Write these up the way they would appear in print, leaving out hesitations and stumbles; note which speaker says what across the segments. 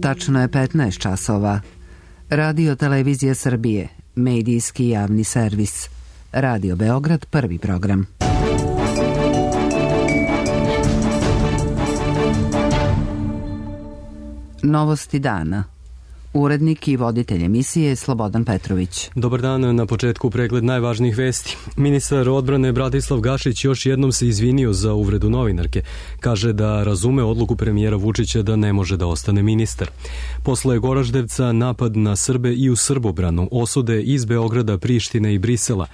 Speaker 1: Tačno je 15 časova. Radio Televizija Srbije, medijski javni servis. Radio Beograd, prvi program. Novosti dana. Urednik i voditelj emisije Slobodan Petrović.
Speaker 2: Dobar dan, na početku pregled najvažnijih vesti. Ministar odbrane Bratislav Gašić još jednom se izvinio za uvredu novinarke. Kaže da razume odluku premijera Vučića da ne može da ostane ministar. Posle Goraždevca napad na Srbe i u Srbobranu, osude iz Beograda, Prištine i Brisela.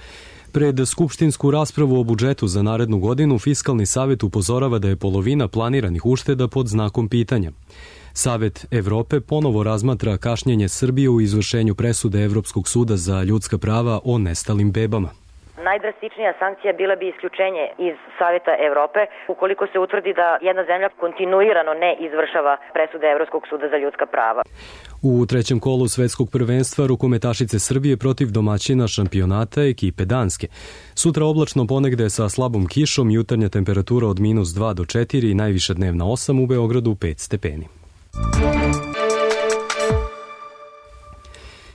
Speaker 2: Pred skupštinsku raspravu o budžetu za narednu godinu Fiskalni savet upozorava da je polovina planiranih ušteda pod znakom pitanja. Savet Evrope ponovo razmatra kašnjenje Srbije u izvršenju presude Evropskog suda za ljudska prava o nestalim bebama.
Speaker 3: Najdrastičnija sankcija bila bi isključenje iz Saveta Evrope ukoliko se utvrdi da jedna zemlja kontinuirano ne izvršava presude Evropskog suda za ljudska prava.
Speaker 2: U trećem kolu svetskog prvenstva rukometašice Srbije protiv domaćina šampionata ekipe Danske. Sutra oblačno ponegde sa slabom kišom, jutarnja temperatura od -2 do 4 i najviša dnevna 8, u Beogradu 5 stepeni.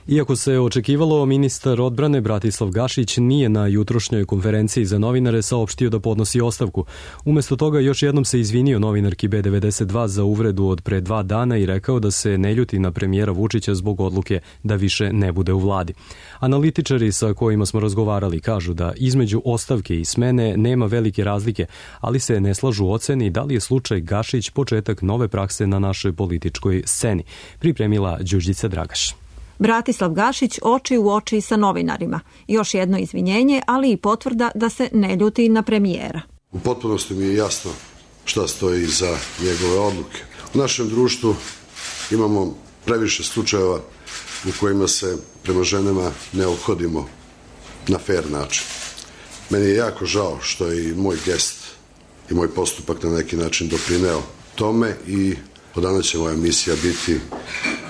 Speaker 2: Iako se očekivalo, ministar odbrane Bratislav Gašić nije na jutrošnjoj konferenciji za novinare saopštio da podnosi ostavku. Umesto toga još jednom se izvinio novinarki B92 za uvredu od pre 2 dana i rekao da se ne ljuti na premijera Vučića zbog odluke da više ne bude u vladi. Analitičari sa kojima smo razgovarali kažu da između ostavke i smene nema velike razlike, ali se ne slažu u oceni da li je slučaj Gašić početak nove prakse na našoj političkoj sceni. Pripremila Đurđica Dragaš.
Speaker 4: Bratislav Gašić oči u oči sa novinarima. Još jedno izvinjenje, ali i potvrda da se ne ljuti na premijera.
Speaker 5: U potpunosti mi je jasno šta stoji iza njegove odluke. U našem društvu imamo previše slučajeva u kojima se prema ženama ne ophodimo na fair način. Meni je jako žao što je i moj gest i moj postupak na neki način doprineo tome i od danas će moja misija biti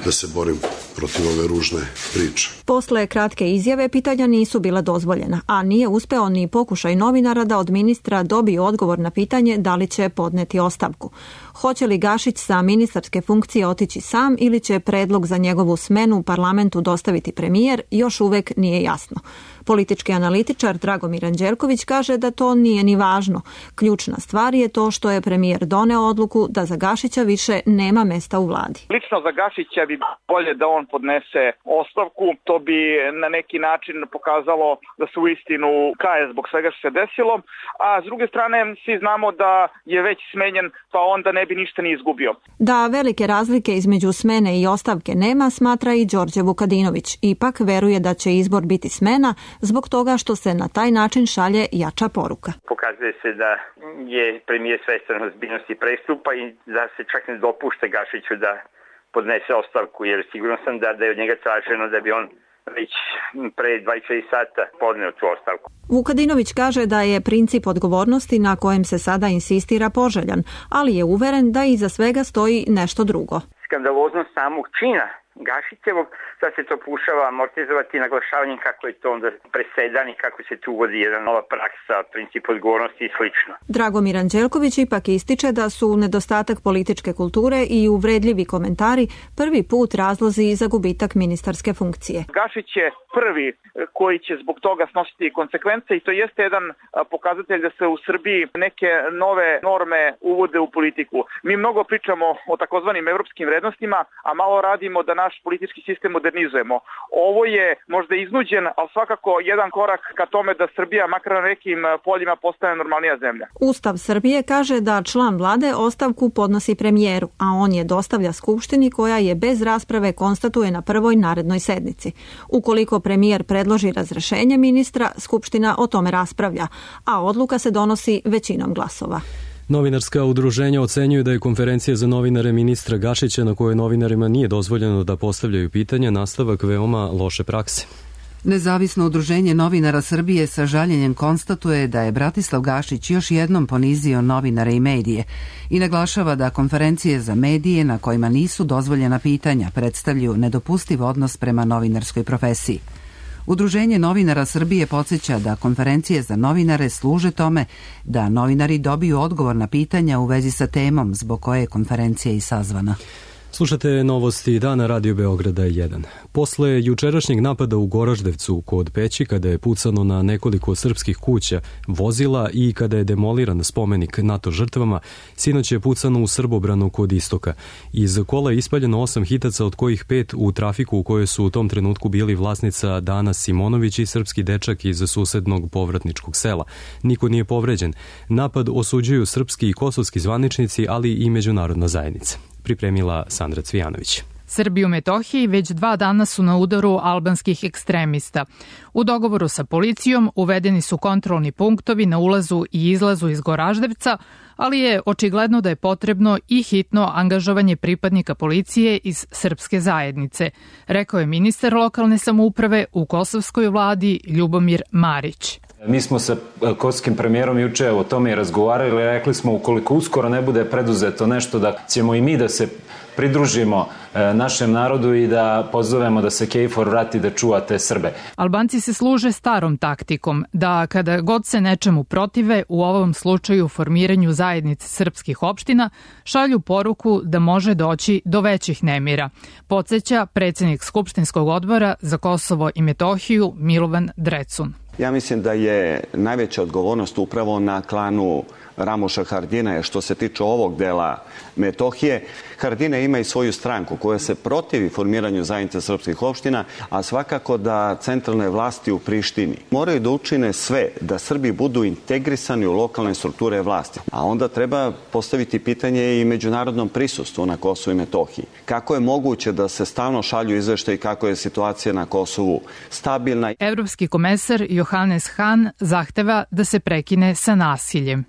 Speaker 5: da se borim protiv ove ružne priče.
Speaker 4: Posle kratke izjave pitanja nisu bila dozvoljena, a nije uspeo ni pokušaj novinara da od ministra dobije odgovor na pitanje da li će podneti ostavku. Hoće li Gašić sa ministarske funkcije otići sam ili će predlog za njegovu smenu u parlamentu dostaviti premijer, još uvek nije jasno. Politički analitičar Dragomir Anđelković kaže da to nije ni važno. Ključna stvar je to što je premijer doneo odluku da za Gašića više nema mesta u vladi.
Speaker 6: Lično za Gašića bi bolje da on podnese ostavku. To bi na neki način pokazalo da se uistinu kaje zbog svega što se desilo. A s druge strane svi znamo da je već smenjen, pa onda ne bi ništa ni izgubio.
Speaker 4: Da velike razlike između smene i ostavke nema, smatra i Đorđe Vukadinović. Ipak veruje da će izbor biti smena zbog toga što se na taj način šalje jača poruka.
Speaker 7: Pokazuje se da je premijer svestan ozbiljnosti prestupa i da se čak ne dopušta Gašiću da podnese ostavku, jer sigurno sam da je od njega traženo da bi on već pre 24 sata podneo tu ostavku.
Speaker 4: Vukadinović kaže da je princip odgovornosti na kojem se sada insistira poželjan, ali je uveren da iza svega stoji nešto drugo.
Speaker 7: Skandaloznost samog čina Gašićevog, sad se to pokušava amortizovati naglašavanjem kako je to onda presedan i kako se tu uvodi jedna nova praksa, princip odgovornosti i slično.
Speaker 4: Dragomir Anđelković ipak ističe da su nedostatak političke kulture i uvredljivi komentari prvi put razlozi za gubitak ministarske funkcije.
Speaker 6: Gašić je prvi koji će zbog toga snositi konsekvence i to jeste jedan pokazatelj da se u Srbiji neke nove norme uvode u politiku. Mi mnogo pričamo o takozvanim evropskim vrednostima, a malo radimo da naš politički sistem modernizujemo. Ovo je možda iznuđen, ali svakako jedan korak ka tome da Srbija makar na nekim poljima postane normalnija zemlja.
Speaker 4: Ustav Srbije kaže da član vlade ostavku podnosi premijeru, a on je dostavlja Skupštini koja je bez rasprave konstatuje na prvoj narednoj sednici. Ukoliko premijer predloži razrešenje ministra, Skupština o tome raspravlja, a odluka se donosi većinom glasova.
Speaker 2: Novinarska udruženja ocenjuju da je konferencija za novinare ministra Gašića, na kojoj novinarima nije dozvoljeno da postavljaju pitanja, nastavak veoma loše prakse.
Speaker 1: Nezavisno udruženje novinara Srbije sa žaljenjem konstatuje da je Bratislav Gašić još jednom ponizio novinare i medije i naglašava da konferencije za medije na kojima nisu dozvoljena pitanja predstavljaju nedopustiv odnos prema novinarskoj profesiji. Udruženje novinara Srbije podsjeća da konferencije za novinare služe tome da novinari dobiju odgovor na pitanja u vezi sa temom zbog koje je konferencija i sazvana.
Speaker 2: Slušate novosti dana Radio Beograda 1. Posle jučerašnjeg napada u Goraždevcu kod Peći, kada je pucano na nekoliko srpskih kuća, vozila i kada je demoliran spomenik NATO žrtvama, sinoć je pucano u Srbobranu kod Istoka. Iz kola je ispaljeno 8 hitaca, od kojih 5 u trafiku u kojoj su u tom trenutku bili vlasnica Dana Simonović i srpski dečak iz susednog povratničkog sela. Niko nije povređen. Napad osuđuju srpski i kosovski zvaničnici, ali i međunarodna zajednica. Pripremila Sandra Cvijanović.
Speaker 8: Srbi u Metohiji već 2 dana su na udaru albanskih ekstremista. U dogovoru sa policijom uvedeni su kontrolni punktovi na ulazu i izlazu iz Goraždevca, ali je očigledno da je potrebno i hitno angažovanje pripadnika policije iz srpske zajednice, rekao je ministar lokalne samouprave u kosovskoj vladi Ljubomir Marić.
Speaker 9: Mi smo sa kosovskim premijerom juče o tome i razgovarali, rekli smo ukoliko uskoro ne bude preduzeto nešto da ćemo i mi da se pridružimo našem narodu i da pozovemo da se KFOR vrati da čuva te Srbe.
Speaker 8: Albanci se služe starom taktikom da kada god se nečemu protive, u ovom slučaju formiranju zajednice srpskih opština, šalju poruku da može doći do većih nemira. Podseća predsednik Skupštinskog odbora za Kosovo i Metohiju Milovan Drecun.
Speaker 10: Ja mislim da je najveća odgovornost upravo na klanu Ramoša Haradinaja što se tiče ovog dela Metohije. Haradinaj ima i svoju stranku koja se protivi formiranju zajednice srpskih opština, a svakako da centralne vlasti u Prištini moraju da učine sve da Srbi budu integrisani u lokalne strukture vlasti. A onda treba postaviti pitanje i međunarodnom prisustvu na Kosovu i Metohiji. Kako je moguće da se stalno šalju izveštaji kako je situacija na Kosovu stabilna?
Speaker 8: Evropski komesar Johannes Hahn zahteva da se prekine sa nasiljem.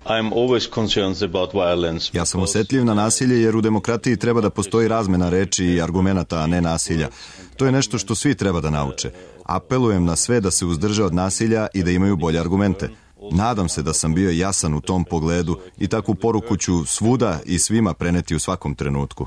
Speaker 11: Ja sam osetljiv na nasilje jer u demokratiji treba da postoji razmena reči i argumenata, a ne nasilja. To je nešto što svi treba da nauče. Apelujem na sve da se uzdrže od nasilja i da imaju bolje argumente. Nadam se da sam bio jasan u tom pogledu i takvu poruku ću svuda i svima preneti u svakom trenutku.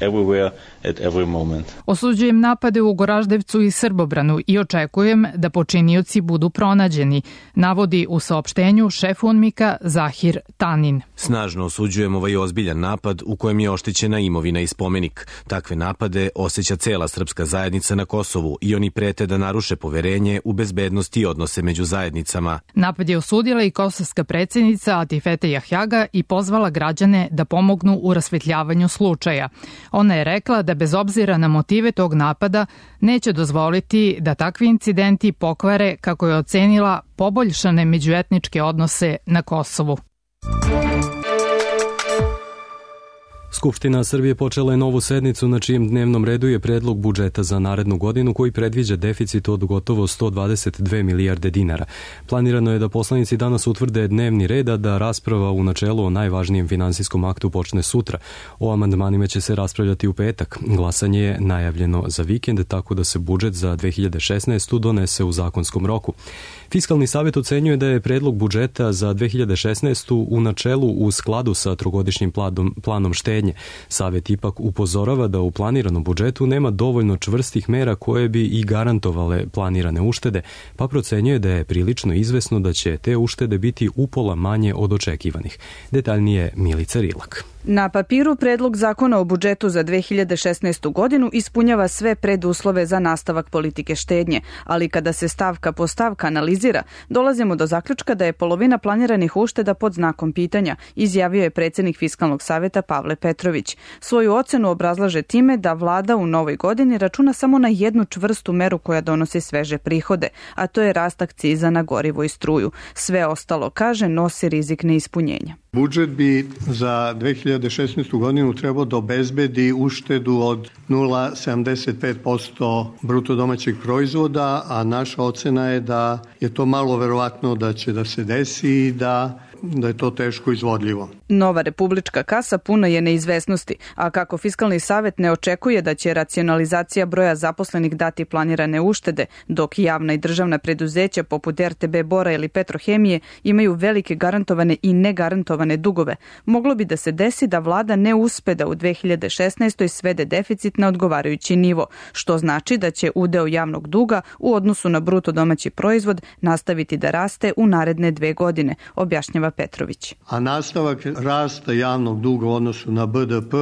Speaker 8: Osuđujem napade u Goraždevcu i Srbobranu i očekujem da počinioci budu pronađeni, navodi u saopštenju šef UNMIK-a Zahir Tanin.
Speaker 12: Snažno osuđujem ovaj ozbiljan napad u kojem je oštećena imovina i spomenik. Takve napade osjeća cela srpska zajednica na Kosovu i oni prete da naruše poverenje u bezbednost i odnose među zajednicama.
Speaker 8: Napad je osudila i kosovska predsjednica Atifete Jahjaga i pozvala građane da pomognu u rasvetljavanju slučaja. Ona je rekla da bez obzira na motive tog napada neće dozvoliti da takvi incidenti pokvare, kako je ocenila, poboljšane međuetničke odnose na Kosovu.
Speaker 2: Skupština Srbije počela je novu sednicu na čijem dnevnom redu je predlog budžeta za narednu godinu koji predviđa deficit od gotovo 122 milijarde dinara. Planirano je da poslanici danas utvrde dnevni red, a da rasprava u načelu o najvažnijem finansijskom aktu počne sutra. O amandmanima će se raspravljati u petak. Glasanje je najavljeno za vikend, tako da se budžet za 2016. donese u zakonskom roku. Fiskalni savjet ocenjuje da je predlog budžeta za 2016. u načelu u skladu sa trogodišnjim planom štednje. Savjet ipak upozorava da u planiranom budžetu nema dovoljno čvrstih mera koje bi i garantovale planirane uštede, pa procenjuje da je prilično izvesno da će te uštede biti upola manje od očekivanih. Detaljnije Milica Rilak.
Speaker 13: Na papiru predlog zakona o budžetu za 2016. godinu ispunjava sve preduslove za nastavak politike štednje, ali kada se stavka po stavka analizira, dolazimo do zaključka da je polovina planiranih ušteda pod znakom pitanja, izjavio je predsjednik Fiskalnog savjeta Pavle Petrović. Svoju ocenu obrazlaže time da vlada u novoj godini računa samo na jednu čvrstu meru koja donosi sveže prihode, a to je rast akciza na gorivo i struju. Sve ostalo, kaže, nosi rizik neispunjenja.
Speaker 14: Budžet bi za 2016. godinu trebao da obezbedi uštedu od 0,75% bruto domaćeg proizvoda, a naša ocena je da je to malo verovatno da će da se desi i da je to teško izvodljivo.
Speaker 13: Nova republička kasa puna je neizvesnosti, a kako Fiskalni savjet ne očekuje da će racionalizacija broja zaposlenih dati planirane uštede, dok javna i državna preduzeća poput RTB Bora ili Petrohemije imaju velike garantovane i negarantovane dugove, moglo bi da se desi da vlada ne uspe da u 2016. svede deficit na odgovarajući nivo, što znači da će udeo javnog duga u odnosu na bruto domaći proizvod nastaviti da raste u naredne 2 godine, objašnjava objašnjava Petrović.
Speaker 14: A nastavak rasta javnog duga u odnosu na BDP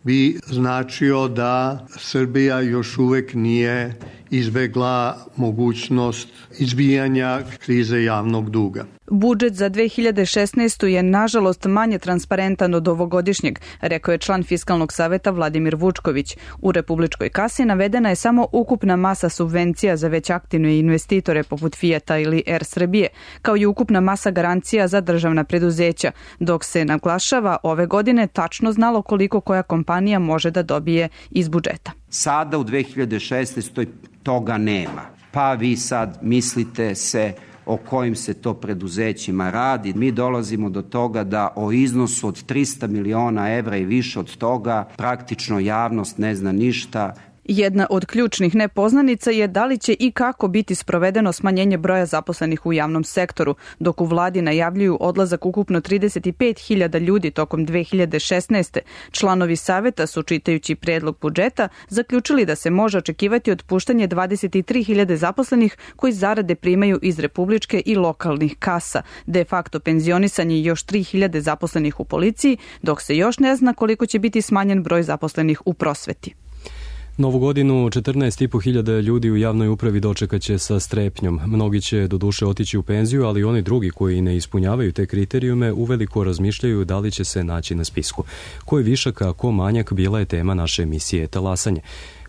Speaker 14: bi značio da Srbija još uvek nije izbegla mogućnost izbijanja krize javnog duga.
Speaker 13: Budžet za 2016. je nažalost manje transparentan od ovogodišnjeg, rekao je član Fiskalnog saveta Vladimir Vučković. U republičkoj kasi navedena je samo ukupna masa subvencija za već aktivne investitore poput Fijata ili Air Srbije, kao i ukupna masa garancija za državna preduzeća, dok se naglašava ove godine tačno znalo koliko koja kompanija može da dobije iz budžeta.
Speaker 15: Sada u 2016. toga nema. Pa vi sad mislite se o kojim se to preduzećima radi. Mi dolazimo do toga da o iznosu od 300 miliona evra i više od toga praktično javnost ne zna ništa.
Speaker 13: Jedna od ključnih nepoznanica je da li će i kako biti sprovedeno smanjenje broja zaposlenih u javnom sektoru, dok u vladi najavljuju odlazak ukupno 35.000 ljudi tokom 2016. Članovi saveta su, čitajući predlog budžeta, zaključili da se može očekivati otpuštanje 23.000 zaposlenih koji zarade primaju iz republičke i lokalnih kasa, de facto penzionisanje još 3.000 zaposlenih u policiji, dok se još ne zna koliko će biti smanjen broj zaposlenih u prosveti.
Speaker 2: Novu godinu 14.500 ljudi u javnoj upravi dočekaće sa strepnjom. Mnogi će doduše otići u penziju, ali oni drugi koji ne ispunjavaju te kriterijume uveliko razmišljaju da li će se naći na spisku. Ko je višak, a ko manjak bila je tema naše emisije Talasanje.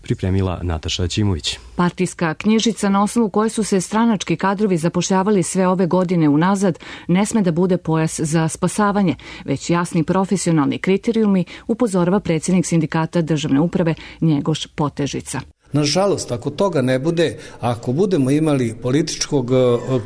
Speaker 2: Pripremila Nataša Ćimović.
Speaker 16: Partijska knjižica na osnovu koje su se stranački kadrovi zapošljavali sve ove godine unazad ne sme da bude pojas za spasavanje, već jasni profesionalni kriterijumi, upozorava predsjednik sindikata državne uprave Njegoš Potežica.
Speaker 17: Nažalost, ako toga ne bude, ako budemo imali političkog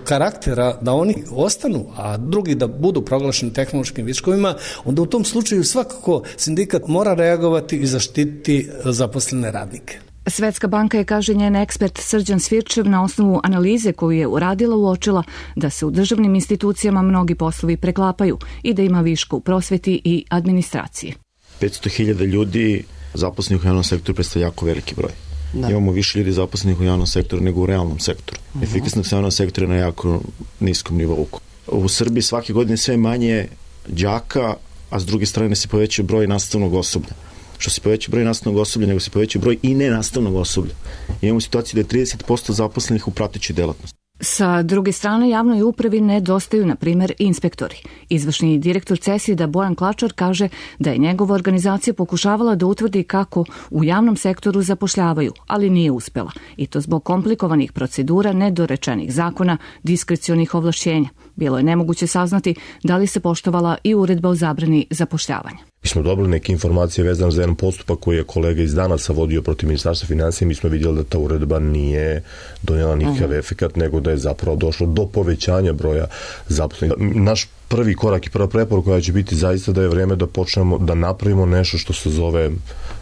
Speaker 17: karaktera da oni ostanu, a drugi da budu proglašeni tehnološkim viškovima, onda u tom slučaju svakako sindikat mora reagovati i zaštititi zaposlene radnike.
Speaker 16: Svetska banka je, kaže njen ekspert Srđan Svirčev, na osnovu analize koju je uradila uočila da se u državnim institucijama mnogi poslovi preklapaju i da ima viška u prosveti i administraciji.
Speaker 18: 500.000 ljudi zaposlenih u javnom sektoru predstavlja jako veliki broj. Da. Imamo više ljudi zaposlenih u javnom sektoru nego u realnom sektoru. Efikasnost javnog sektora je na jako niskom nivou. U Srbiji svake godine sve manje đaka, a s druge strane se poveća broj nastavnog osoblja. Što se poveća broj nastavnog osoblja, nego se poveća broj i nenastavnog osoblja. Imamo situaciju da je 30% zaposlenih u pratećoj delatnosti.
Speaker 16: Sa druge strane, javnoj upravi nedostaju, na primjer, inspektori. Izvršni direktor CESID-a Bojan Klačar kaže da je njegova organizacija pokušavala da utvrdi kako u javnom sektoru zapošljavaju, ali nije uspela. I to zbog komplikovanih procedura, nedorečenih zakona, diskrecionih ovlašćenja. Bilo je nemoguće saznati da li se poštovala i uredba o zabrani zapošljavanja.
Speaker 19: Mi smo dobili neke informacije vezane za jedan postupak koji je kolega iz Danaca vodio protiv Ministarstva financija. Mi smo vidjeli da ta uredba nije donijela nikakav efekat, nego da je zapravo došlo do povećanja broja zaposlenih. Naš prvi korak i prva preporuka će biti zaista da je vreme da počnemo da napravimo nešto što se zove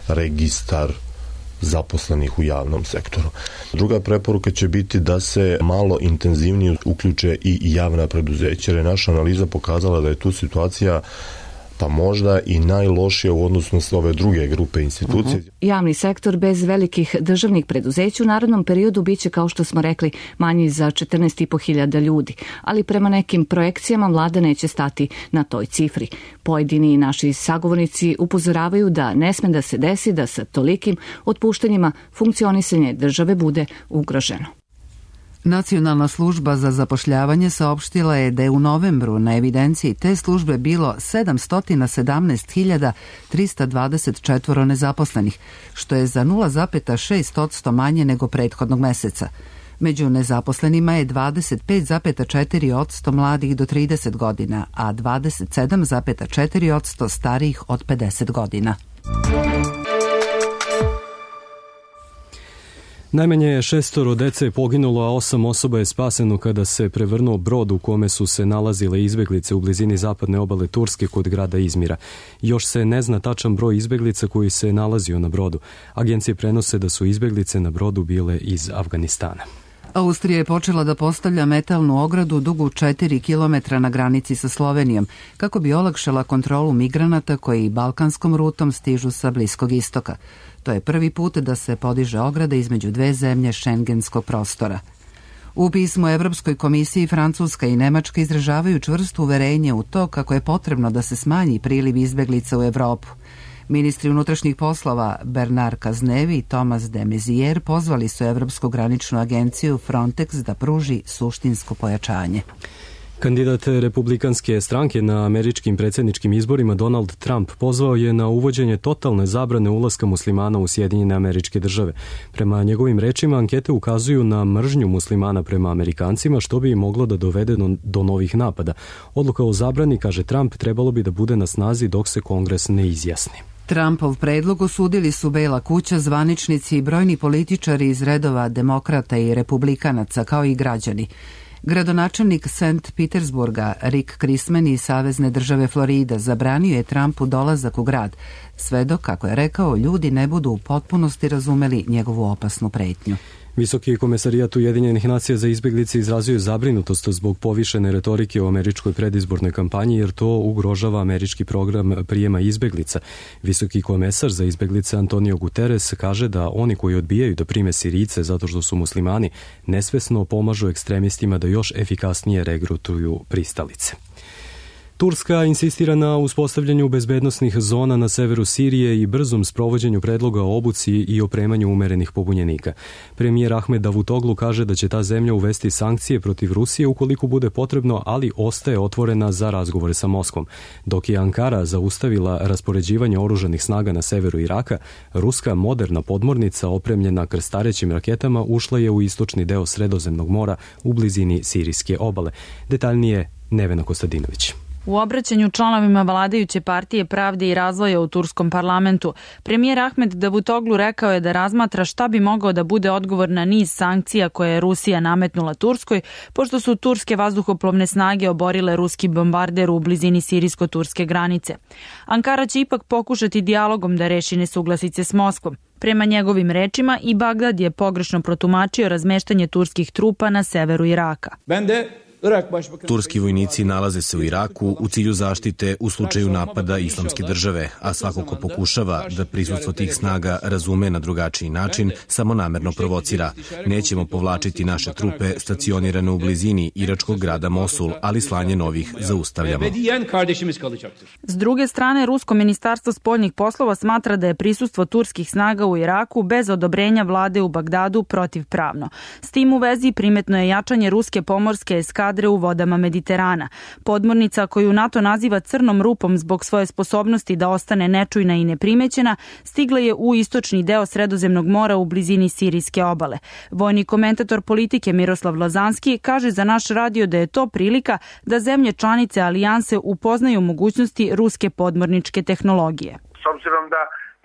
Speaker 19: registar zaposlenih u javnom sektoru. Druga preporuka će biti da se malo intenzivnije uključe i javna preduzeća, jer je naša analiza pokazala da je tu situacija pa možda i najlošija u odnosu na ove druge grupe institucije.
Speaker 16: Javni sektor bez velikih državnih preduzeća u narednom periodu biće, kao što smo rekli, manji za 14.500 ljudi, ali prema nekim projekcijama vlada neće stati na toj cifri. Pojedini naši sagovornici upozoravaju da ne sme da se desi da sa tolikim otpuštanjima funkcionisanje države bude ugroženo.
Speaker 1: Nacionalna služba za zapošljavanje saopštila je da je u novembru na evidenciji te službe bilo 717.324 nezaposlenih, što je za 0,6% manje nego prethodnog meseca. Među nezaposlenima je 25,4% mladih do 30 godina, a 27,4% starijih od 50 godina.
Speaker 2: Najmanje 6 dece je poginulo, a 8 osoba je spaseno kada se prevrnuo brod u kome su se nalazile izbeglice u blizini zapadne obale Turske kod grada Izmira. Još se ne zna tačan broj izbeglica koji se nalazio na brodu. Agencije prenose da su izbeglice na brodu bile iz Afganistana.
Speaker 1: Austrija je počela da postavlja metalnu ogradu dugu 4 km na granici sa Slovenijom, kako bi olakšala kontrolu migranata koji balkanskom rutom stižu sa Bliskog istoka. To je prvi put da se podiže ograda između dve zemlje šengenskog prostora. U pismu Evropskoj komisiji Francuska i Nemačka izražavaju čvrsto uverenje u to kako je potrebno da se smanji priliv izbeglica u Evropu. Ministri unutrašnjih poslova Bernard Cazeneuve i Thomas de Maizière pozvali su Evropsku graničnu agenciju Frontex da pruži suštinsko pojačanje.
Speaker 2: Kandidat republikanske stranke na američkim predsjedničkim izborima Donald Trump pozvao je na uvođenje totalne zabrane ulaska muslimana u Sjedinjene Američke Države. Prema njegovim rečima, ankete ukazuju na mržnju muslimana prema Amerikancima, što bi moglo da dovede do novih napada. Odluka o zabrani, kaže Trump, trebalo bi da bude na snazi dok se Kongres ne izjasni.
Speaker 1: Trumpov predlog osudili su Bela kuća, zvaničnici i brojni političari iz redova demokrata i republikanaca, kao i građani. Gradonačelnik St. Petersburga Rick Chrisman iz Savezne države Florida zabranio je Trumpu dolazak u grad, sve dok, kako je rekao, ljudi ne budu u potpunosti razumeli njegovu opasnu pretnju.
Speaker 2: Visoki komesarijat Ujedinjenih nacija za izbeglice izrazio je zabrinutost zbog povišene retorike u američkoj predizbornoj kampanji, jer to ugrožava američki program prijema izbeglica. Visoki komesar za izbeglice Antonio Guterres kaže da oni koji odbijaju da prime Sirijce zato što su muslimani nesvesno pomažu ekstremistima da još efikasnije regrutuju pristalice. Turska insistira na uspostavljanju bezbednosnih zona na severu Sirije i brzom sprovođenju predloga o obuci i opremanju umerenih pobunjenika. Premijer Ahmed Davutoglu kaže da će ta zemlja uvesti sankcije protiv Rusije ukoliko bude potrebno, ali ostaje otvorena za razgovore sa Moskvom. Dok je Ankara zaustavila raspoređivanje oružanih snaga na severu Iraka, ruska moderna podmornica opremljena krstarećim raketama ušla je u istočni deo Sredozemnog mora u blizini sirijske obale. Detaljnije Nevena Kostadinović.
Speaker 20: U obraćanju članovima vladajuće partije Pravde i razvoja u turskom parlamentu, premijer Ahmed Davutoglu rekao je da razmatra šta bi mogao da bude odgovor na niz sankcija koje je Rusija nametnula Turskoj, pošto su turske vazduhoplovne snage oborile ruski bombarder u blizini sirijsko-turske granice. Ankara će ipak pokušati dijalogom da reši nesuglasice s Moskvom. Prema njegovim rečima, i Bagdad je pogrešno protumačio razmeštanje turskih trupa na severu Iraka.
Speaker 12: Turski vojnici nalaze se u Iraku u cilju zaštite u slučaju napada Islamske države, a svako ko pokušava da prisustvo tih snaga razume na drugačiji način, samo namerno provocira. Nećemo povlačiti naše trupe stacionirane u blizini iračkog grada Mosul, ali slanje novih zaustavljamo.
Speaker 20: S druge strane, Rusko ministarstvo spoljnih poslova smatra da je prisustvo turskih snaga u Iraku bez odobrenja vlade u Bagdadu protivpravno. S tim u vezi primetno je jačanje ruske pomorske eskadre u vodama Mediterana. Podmornica koju NATO naziva crnom rupom zbog svoje sposobnosti da ostane nečujna i neprimećena, stigla je u istočni deo Sredozemnog mora u blizini sirijske obale. Vojni komentator politike Miroslav Lazanski kaže za naš radio da je to prilika da zemlje članice alijanse upoznaju mogućnosti ruske podmorničke tehnologije.
Speaker 21: S obzirom da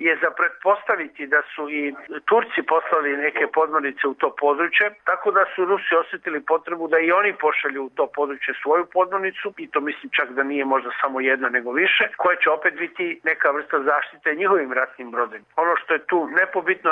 Speaker 21: je za pretpostaviti da su i Turci poslali neke podmornice u to područje, tako da su Rusi osjetili potrebu da i oni pošalju u to područje svoju podmornicu, i to mislim čak da nije možda samo jedna nego više, koja će opet biti neka vrsta zaštite njihovim ratnim brodovima. Ono što je tu nepobitno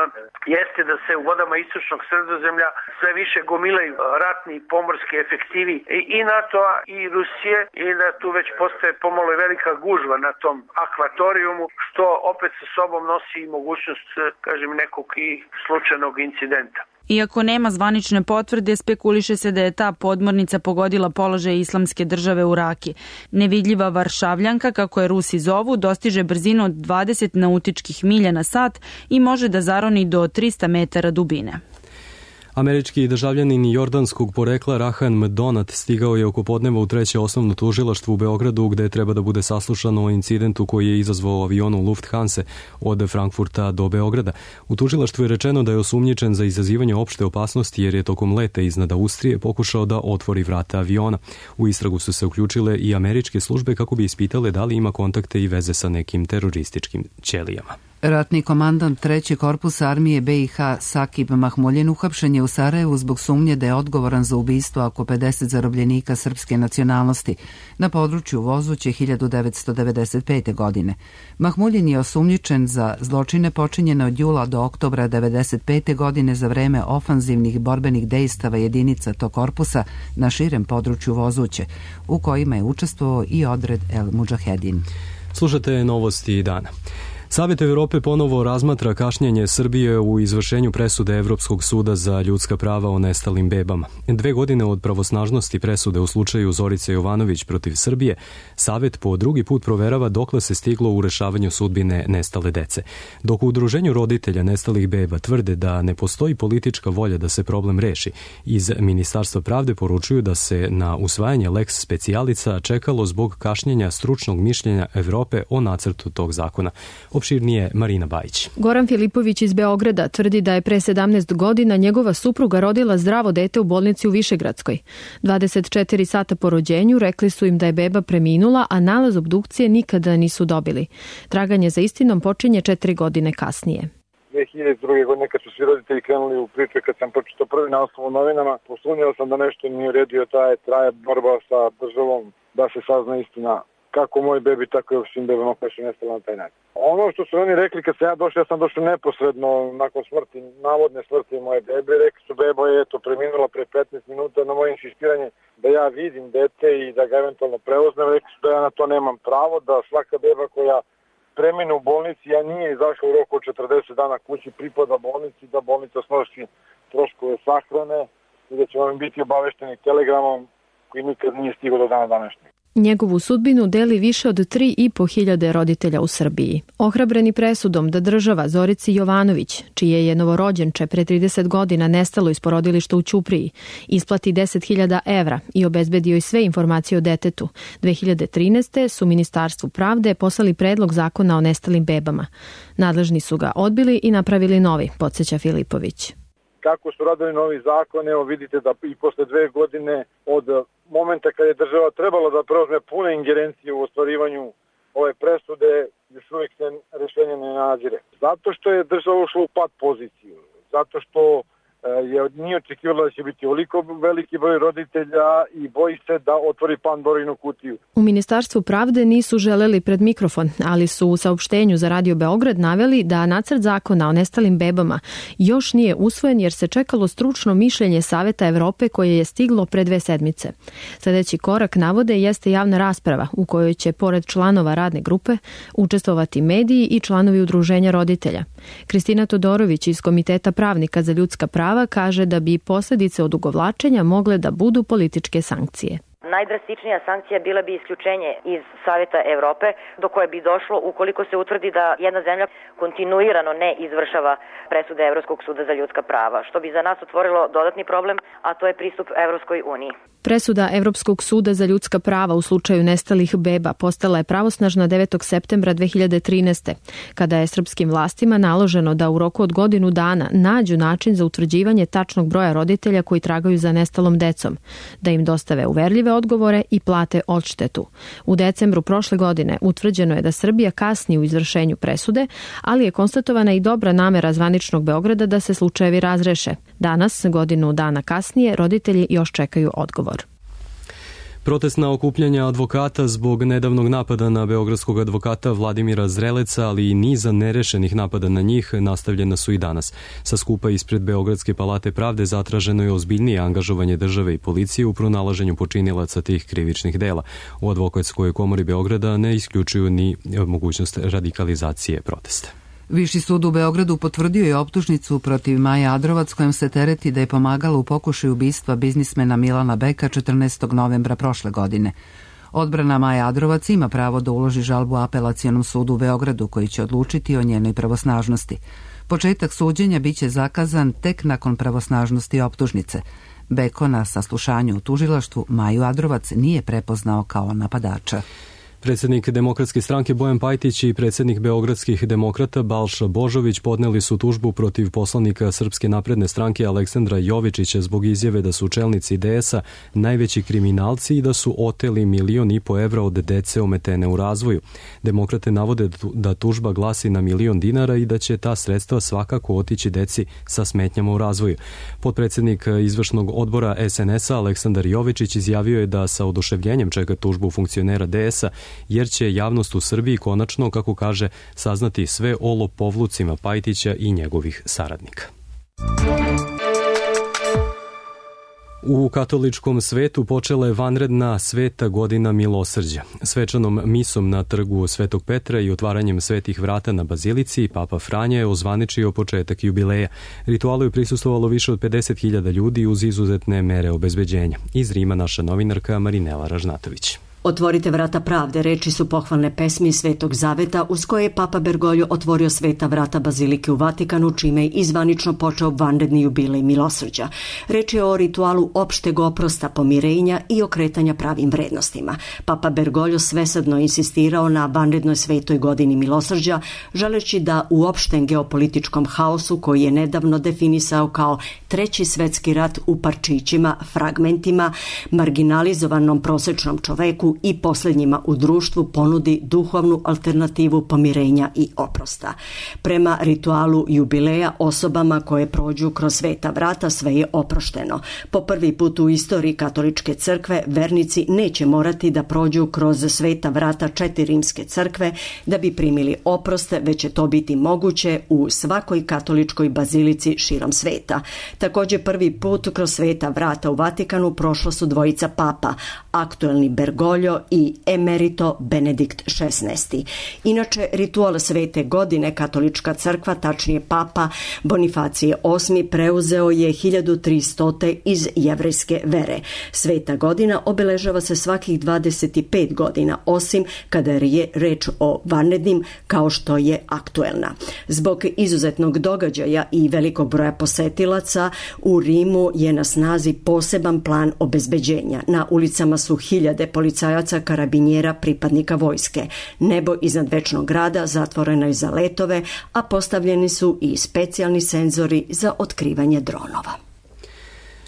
Speaker 21: jeste da se u vodama istočnog Sredozemlja sve više gomilaju ratni pomorski efektivi i NATO-a i Rusije, i da tu već postaje pomalo velika gužva na tom akvatorijumu, što opet sa sobom nosi i mogućnost, kažem, nekog i slučajnog incidenta.
Speaker 20: Iako nema zvanične potvrde, spekuliše se da je ta podmornica pogodila položaj Islamske države u Raki. Nevidljiva Varšavljanka, kako je Rusi zovu, dostiže brzinu od 20 nautičkih milja na sat i može da zaroni do 300 metara dubine.
Speaker 2: Američki državljanin jordanskog porekla Rahan Mdonat stigao je oko podneva u treće osnovno tužilaštvo u Beogradu, gde treba da bude saslušano o incidentu koji je izazvao avion u Lufthansa od Frankfurta do Beograda. U tužilaštvu je rečeno da je osumnjičen za izazivanje opšte opasnosti jer je tokom leta iznad Austrije pokušao da otvori vrata aviona. U istragu su se uključile i američke službe kako bi ispitale da li ima kontakte i veze sa nekim terorističkim ćelijama.
Speaker 1: Ratni komandant 3. korpusa armije BiH Sakib Mahmuljin uhapšen je u Sarajevu zbog sumnje da je odgovoran za ubistvo oko 50 zarobljenika srpske nacionalnosti na području Vozuće 1995. godine. Mahmuljin je osumnjičen za zločine počinjene od jula do oktobra 1995. godine za vreme ofanzivnih borbenih dejstava jedinica tog korpusa na širem području Vozuće, u kojima je učestvovao i odred El Mudžahedin.
Speaker 2: Slušate novosti dana. Savet Evrope ponovo razmatra kašnjenje Srbije u izvršenju presude Evropskog suda za ljudska prava o nestalim bebama. 2 godine od pravosnažnosti presude u slučaju Zorice Jovanović protiv Srbije, Savet po drugi put proverava dokle se stiglo u rešavanju sudbine nestale dece. Dok u udruženju roditelja nestalih beba tvrde da ne postoji politička volja da se problem reši, iz Ministarstva pravde poručuju da se na usvajanje lex specialica čekalo zbog kašnjenja stručnog mišljenja Evrope o nacrtu tog zakona. Opširnije Marina Bajić.
Speaker 3: Goran Filipović iz Beograda tvrdi da je pre 17 godina njegova supruga rodila zdravo dete u bolnici u Višegradskoj. 24 sata po rođenju rekli su im da je beba preminula, a nalaz obdukcije nikada nisu dobili. Traganje za istinom počinje 4 godine kasnije.
Speaker 22: 2002. godine kad su svi roditelji krenuli u priče, kad sam pročitao prvi naslov u novinama, posumnjao sam da nešto nije u redu, traje borba sa državom da se sazna istina kako moj bebi, tako i svim bebama koje su nestale na taj način. Ono što su oni rekli kad sam ja došao, ja sam došao neposredno nakon smrti, navodne smrti moje bebe, rekli su beba je preminula pre 15 minuta na moje insistiranje da ja vidim dete i da ga eventualno prevoznem, rekli su da ja na to nemam pravo, da svaka beba koja premine u bolnici, ja nije izašao u roku od 40 dana kući, pripada bolnici, da bolnica snosi troškove sahrane i da će vam biti obavešteni telegramom koji nikad nije stigao do dana današnjeg.
Speaker 3: Njegovu sudbinu deli više od 3.500 roditelja u Srbiji. Ohrabreni presudom da država Zorici Jovanović, čije je novorođenče pre 30 godina nestalo iz porodilišta u Ćupriji, isplati 10.000 evra i obezbedio i sve informacije o detetu, 2013. su Ministarstvu pravde poslali predlog zakona o nestalim bebama. Nadležni su ga odbili i napravili novi, podsjeća Filipović.
Speaker 22: Kako su radili novi zakon, evo vidite da i posle 2 godine od momenta kad je država trebala da preuzme pune ingerencije u ostvarivanju ove presude, još uvijek se rešenje ne nadzire. Zato što je država ušla u pad poziciju, zato što nije očekivala da će biti ovoliko veliki broj roditelja i boji se da otvori Pandorinu kutiju.
Speaker 3: U Ministarstvu pravde nisu želeli pred mikrofon, ali su u saopštenju za Radio Beograd naveli da nacrt zakona o nestalim bebama još nije usvojen jer se čekalo stručno mišljenje Saveta Evrope koje je stiglo pre 2 sedmice. Sledeći korak, navode, jeste javna rasprava u kojoj će pored članova radne grupe učestvovati mediji i članovi udruženja roditelja. Kristina Todorović iz Komiteta pravnika za ljudska prava kaže da bi posljedice odugovlačenja mogle da budu političke sankcije.
Speaker 23: Najdrastičnija sankcija bila bi isključenje iz Saveta Evrope, do koje bi došlo ukoliko se utvrdi da jedna zemlja kontinuirano ne izvršava presude Evropskog suda za ljudska prava, što bi za nas otvorilo dodatni problem, a to je pristup Evropskoj uniji.
Speaker 3: Presuda Evropskog suda za ljudska prava u slučaju nestalih beba postala je pravosnažna 9. septembra 2013. kada je srpskim vlastima naloženo da u roku od godinu dana nađu način za utvrđivanje tačnog broja roditelja koji tragaju za nestalom decom, da im dostave uverljive odgovore i plate odštetu. U decembru prošle godine utvrđeno je da Srbija kasni u izvršenju presude, ali je konstatovana i dobra namera zvaničnog Beograda da se slučajevi razreše. Danas, godinu dana kasnije, roditelji još čekaju odgovor.
Speaker 2: Protestna okupljanja advokata zbog nedavnog napada na beogradskog advokata Vladimira Zreleca, ali i niza nerešenih napada na njih, nastavljena su i danas. Sa skupa ispred Beogradske palate pravde zatraženo je ozbiljnije angažovanje države i policije u pronalaženju počinilaca tih krivičnih dela. U advokatskoj komori Beograda ne isključuju ni mogućnost radikalizacije protesta.
Speaker 1: Viši sud u Beogradu potvrdio je optužnicu protiv Maje Adrovac kojom se tereti da je pomagala u pokušaju ubistva biznismena Milana Beka 14. novembra prošle godine. Odbrana Maje Adrovac ima pravo da uloži žalbu Apelacionom sudu u Beogradu koji će odlučiti o njenoj pravosnažnosti. Početak suđenja biće zakazan tek nakon pravosnažnosti optužnice. Beko na saslušanju u tužilaštvu Maju Adrovac nije prepoznao kao napadača.
Speaker 2: Predsjednik Demokratske stranke Bojan Pajtić i predsjednik Beogradskih demokrata Balša Božović podneli su tužbu protiv poslanika Srpske napredne stranke Aleksandra Jovičića zbog izjave da su čelnici DS-a najveći kriminalci i da su oteli 1,5 miliona evra od dece ometene u razvoju. Demokrate navode da tužba glasi na 1 milion dinara i da će ta sredstva svakako otići deci sa smetnjama u razvoju. Potpredsjednik izvršnog odbora SNS-a Aleksandar Jovičić izjavio je da sa oduševljenjem čeka tužbu funkcionera DS-a jer će javnost u Srbiji konačno, kako kaže, saznati sve o lopovlucima Pajtića i njegovih saradnika. U katoličkom svetu počela je vanredna sveta godina milosrđa. Svečanom misom na trgu Svetog Petra i otvaranjem svetih vrata na bazilici, Papa Franja je ozvaničio početak jubileja. Ritualu je prisustvovalo više od 50.000 ljudi uz izuzetne mere obezbeđenja. Iz Rima naša novinarka Marinela Ražnatović.
Speaker 5: Otvorite vrata pravde, reči su pohvalne pesmi Svetog Zaveta uz koje je Papa Bergoglio otvorio sveta vrata bazilike u Vatikanu, čime je izvanično počeo vanredni jubilej milosrđa. Reč je o ritualu opšteg oprosta, pomirenja i okretanja pravim vrednostima. Papa Bergoglio svesadno insistirao na vanrednoj svetoj godini milosrđa, želeći da u opštem geopolitičkom haosu koji je nedavno definisao kao treći svetski rat u parčićima, fragmentima, marginalizovanom prosečnom čoveku i posljednjima u društvu ponudi duhovnu alternativu pomirenja i oprosta. Prema ritualu jubileja osobama koje prođu kroz sveta vrata sve je oprošteno. Po prvi put u istoriji katoličke crkve vernici neće morati da prođu kroz sveta vrata 4 rimske crkve da bi primili oproste, već će to biti moguće u svakoj katoličkoj bazilici širom sveta. Također prvi put kroz sveta vrata u Vatikanu prošla su dvojica papa, aktuelni Bergoglio i emerito Benedikt XVI. Inače, ritual svete godine katolička crkva, tačnije papa Bonifacije VIII, preuzeo je 1300. iz jevrejske vere. Sveta godina obeležava se svakih 25 godina, osim kada je reč o vanrednim kao što je aktuelna. Zbog izuzetnog događaja i velikog broja posetilaca u Rimu je na snazi poseban plan obezbeđenja. Na ulicama su hiljade policajaca, karabinjera, pripadnika vojske. Nebo iznad večnog grada zatvoreno je za letove, a postavljeni su i specijalni senzori za otkrivanje dronova.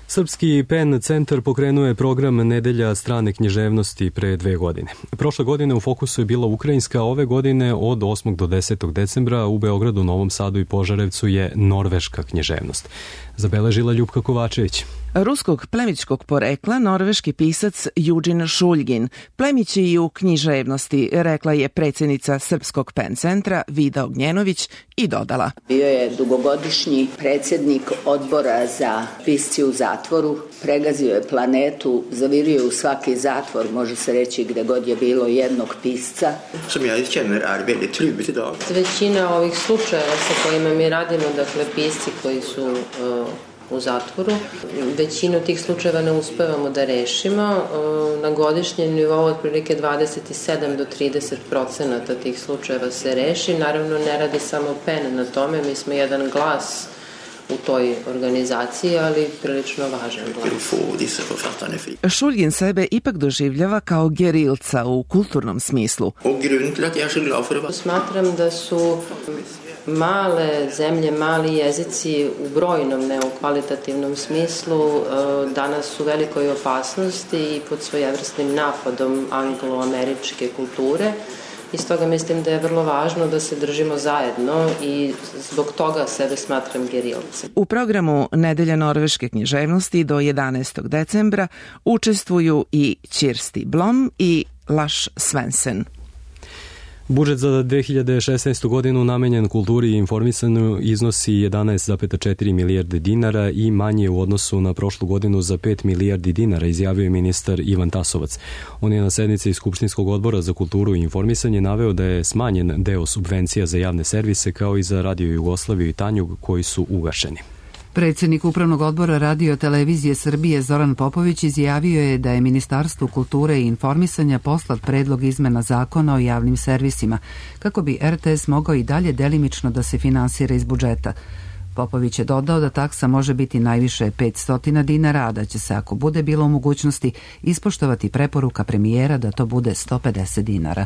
Speaker 2: Srpski PEN centar pokrenuo je program Nedelja strane književnosti pre 2 godine. Prošle godine u fokusu je bila ukrajinska, a ove godine od 8. do 10. decembra u Beogradu, Novom Sadu i Požarevcu je norveška književnost. Zabeležila Ljupka Kovačević.
Speaker 6: Ruskog plemićkog porekla norveški pisac Eugene Šuljgin plemić je i u književnosti, rekla je predsjednica Srpskog PEN centra Vida Ognjenović i dodala.
Speaker 7: Bio je dugogodišnji predsjednik odbora za pisci u zatvoru, pregazio je planetu, zavirio je u svaki zatvor, može se reći gde god je bilo jednog pisca.
Speaker 24: Većina ovih slučajeva sa kojima mi radimo, dakle pisci koji su u zatvoru, većinu tih slučajeva ne uspevamo da rešimo. Na godišnjem nivou otprilike 27 do 30% tih slučajeva se reši. Naravno, ne radi samo PEN na tome, mi smo jedan glas u toj organizaciji, ali prilično važan glas.
Speaker 6: Šuljgin sebe ipak doživljava kao gerilca u kulturnom smislu.
Speaker 24: Smatram da su male zemlje, mali jezici u brojnom, ne u kvalitativnom smislu, danas u velikoj opasnosti i pod svojevrsnim napadom anglo-američke kulture. I stoga mislim da je vrlo važno da se držimo zajedno i zbog toga sebe smatram gerilcem.
Speaker 6: U programu Nedelja norveške književnosti do 11. decembra učestvuju i Kirsti Blom i Lars Svensson.
Speaker 2: Budžet za 2016. godinu namenjen kulturi i informisanju iznosi 11,4 milijarde dinara i manje u odnosu na prošlu godinu za 5 milijardi dinara, izjavio je ministar Ivan Tasovac. On je na sednici Skupštinskog odbora za kulturu i informisanje naveo da je smanjen deo subvencija za javne servise kao i za Radio Jugoslaviju i Tanjug koji su ugašeni.
Speaker 1: Predsjednik Upravnog odbora Radio Televizije Srbije Zoran Popović izjavio je da je Ministarstvu kulture i informisanja poslat predlog izmena zakona o javnim servisima, kako bi RTS mogao i dalje delimično da se finansira iz budžeta. Popović je dodao da taksa može biti najviše 500 dinara, a da će se, ako bude bilo u mogućnosti, ispoštovati preporuka premijera da to bude 150 dinara.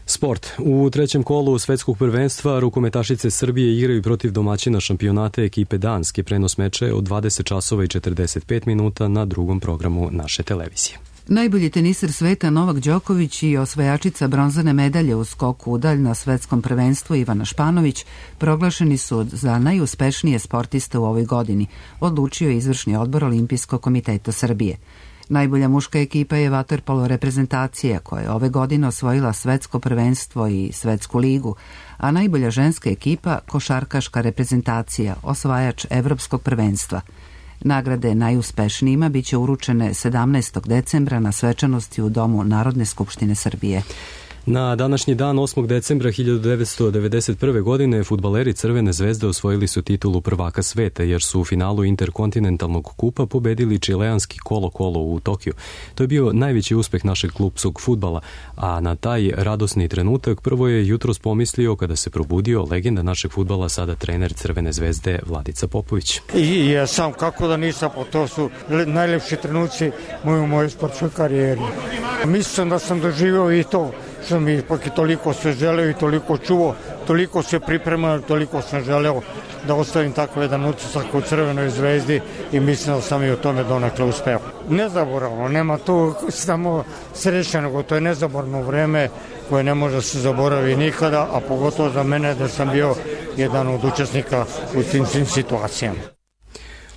Speaker 2: Sport. U trećem kolu svetskog prvenstva rukometašice Srbije igraju protiv domaćina šampionata ekipe Danske. Prenos meča je od 20 časova i 45 minuta na drugom programu naše televizije.
Speaker 1: Najbolji teniser sveta Novak Đoković i osvajačica bronzane medalje u skoku u dalj na svetskom prvenstvu Ivana Španović proglašeni su za najuspešnije sportiste u ovoj godini, odlučio je izvršni odbor Olimpijskog komiteta Srbije. Najbolja muška ekipa je vaterpolo reprezentacija koja je ove godine osvojila svetsko prvenstvo i svetsku ligu, a najbolja ženska ekipa košarkaška reprezentacija, osvajač evropskog prvenstva. Nagrade najuspešnijima biće uručene 17. decembra na svečanosti u Domu Narodne skupštine Srbije.
Speaker 2: Na današnji dan 8. decembra 1991. godine fudbaleri Crvene zvezde osvojili su titulu prvaka sveta jer su u finalu interkontinentalnog kupa pobedili čileanski Colo-Colo u Tokiju. To je bio najveći uspeh našeg klupskog fudbala, a na taj radosni trenutak prvo je jutros pomislio kada se probudio legenda našeg fudbala, sada trener Crvene zvezde Vladica Popović.
Speaker 4: I ja sam kako da nisam, to su najlepši trenuci u mojoj sportskoj karijeri. Mislim da sam doživio i to što mi ipak i toliko se želeo i toliko čuo, toliko se pripremao, toliko sam želeo da ostavim tako jedan utisak u Crvenoj zvezdi i mislim da sam i u tome donekle uspeo. Nezaboravno, nema tu samo sreće, nego to je nezaborno vreme koje ne može se zaboravi nikada, a pogotovo za mene da sam bio jedan od učesnika u tim situacijama.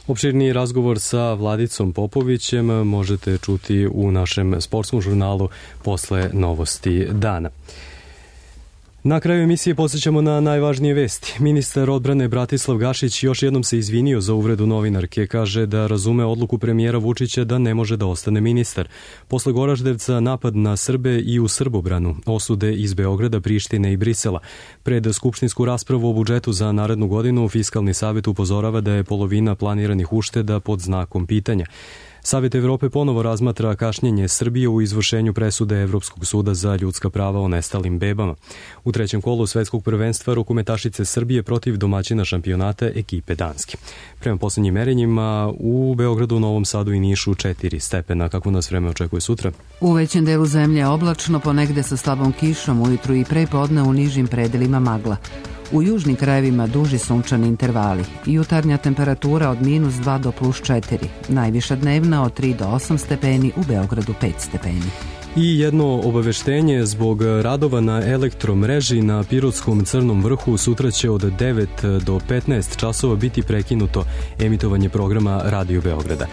Speaker 2: Opširniji razgovor sa Vladicom Popovićem možete čuti u našem sportskom žurnalu posle novosti dana. Na kraju emisije podsjećamo na najvažnije vesti. Ministar odbrane Bratislav Gašić još jednom se izvinio za uvredu novinarke. Kaže da razume odluku premijera Vučića da ne može da ostane ministar. Posle Goraždevca napad na Srbe i u Srbobranu, osude iz Beograda, Prištine i Brisela. Pred skupštinsku raspravu o budžetu za narednu godinu Fiskalni savet upozorava da je polovina planiranih ušteda pod znakom pitanja. Savet Evrope ponovo razmatra kašnjenje Srbije u izvršenju presude Evropskog suda za ljudska prava o nestalim bebama. U trećem kolu svetskog prvenstva rukometašice Srbije protiv domaćina šampionata ekipe Danske. Prema poslednjim merenjima u Beogradu, Novom Sadu i Nišu 4 stepena. Kako nas vreme očekuje sutra?
Speaker 1: U većem delu zemlje oblačno, ponegde sa slabom kišom, ujutru i pre podne u nižim predelima magla. U južnim krajevima duži sunčani intervali. Jutarnja temperatura od -2 do +4. Najviša dnevna od 3 do 8 stepeni, u Beogradu 5 stepeni.
Speaker 2: I jedno obaveštenje zbog radova na elektromreži na Pirotskom Crnom vrhu sutra će od 9 do 15 časova biti prekinuto emitovanje programa Radio Beograda.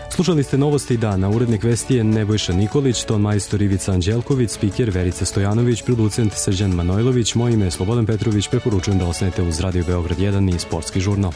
Speaker 2: Slušali ste novosti dana, urednik vesti je Nebojša Nikolić, ton majstor Ivica Anđelković, spiker Verica Stojanović, producent Srđan Manojlović, moje ime je Slobodan Petrović, preporučujem da ostanete uz Radio Beograd 1 i sportski žurnal.